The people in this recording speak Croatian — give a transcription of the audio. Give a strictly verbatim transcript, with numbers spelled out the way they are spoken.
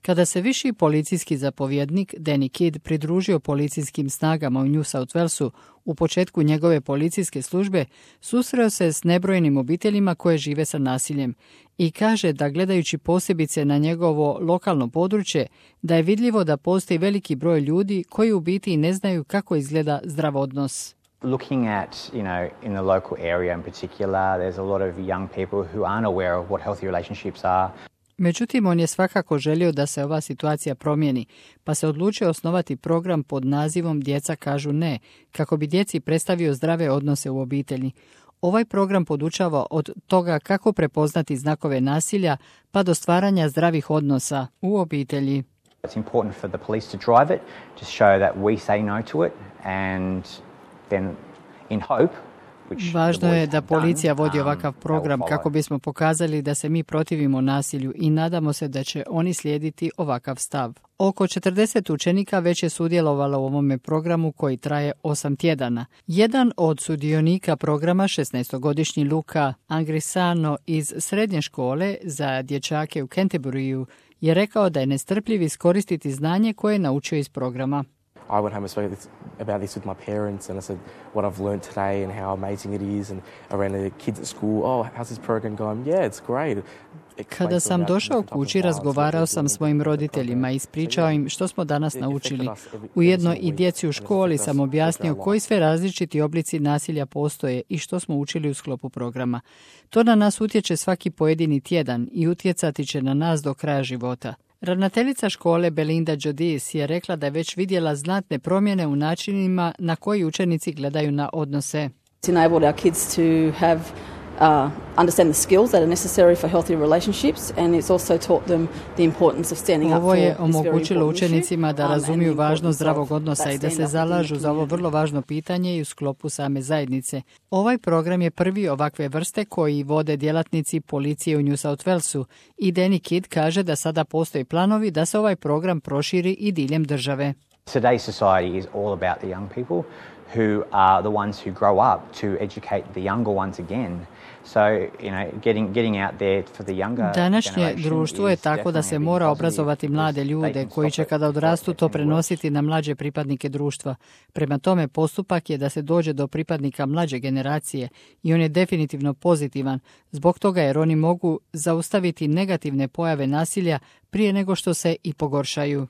Kada se viši policijski zapovjednik Danny Kidd pridružio policijskim snagama u New South Walesu u početku njegove policijske službe, susreo se s nebrojnim obiteljima koje žive sa nasiljem i kaže da gledajući posebice na njegovo lokalno područje, da je vidljivo da postoji veliki broj ljudi koji u biti ne znaju kako izgleda zdrav odnos. Looking at, you know, in the local area in particular, there's a lot of young people who aren't aware of what healthy relationships are. Međutim, on je svakako želio da se ova situacija promijeni, pa se odlučio osnovati program pod nazivom Djeca kažu ne, kako bi djeci predstavio zdrave odnose u obitelji. Ovaj program podučava od toga kako prepoznati znakove nasilja, pa do stvaranja zdravih odnosa u obitelji. It's important for the police to drive it, to show that we say no to it, and then in hope. Važno je da policija vodi ovakav program kako bismo pokazali da se mi protivimo nasilju i nadamo se da će oni slijediti ovakav stav. Oko četrdeset učenika već je sudjelovalo u ovome programu koji traje osam tjedana. Jedan od sudionika programa, šesnaestogodišnji Luka Angrisano iz srednje škole za dječake u Canterburyu, je rekao da je nestrpljiv iskoristiti znanje koje je naučio iz programa. I went home and spoke about this with my parents, and I said what I've learned today and how amazing it is, and I ran to the kids at school. Oh, how's this program going? Yeah, it's great. Kada sam došao kući, razgovarao sam s mojim roditeljima i ispričao im što smo danas naučili. Ujedno i djeci u školi sam objasnio koji sve različiti oblici nasilja postoje i što smo učili u sklopu programa. To na nas utječe svaki pojedini tjedan i utjecati će na nas do kraja života. Ravnateljica škole Belinda Jodis je rekla da je već vidjela znatne promjene u načinima na koji učenici gledaju na odnose. It's enabled our kids to have uh, understand the skills that are necessary for healthy relationships, and it's also taught them the importance of standing up for this very important issue. Ovo je omogućilo učenicima da razumiju važnost zdravog odnosa i da se zalažu za ovo vrlo važno pitanje i u sklopu same zajednice. Ovaj program je prvi ovakve vrste koji vode djelatnici policije u New South Walesu i Danny Kidd kaže da sada postoje planovi da se ovaj program proširi i diljem države. Today's society is all about the young people who are the ones who grow up to educate the younger ones again. So, you know, getting getting out there for the younger. Današnje društvo je tako da se mora obrazovati mlade ljude koji će kada odrastu to prenositi na mlađe pripadnike društva. Prema tome postupak je da se dođe do pripadnika mlađe generacije i on je definitivno pozitivan, zbog toga jer oni mogu zaustaviti negativne pojave nasilja prije nego što se i pogoršaju.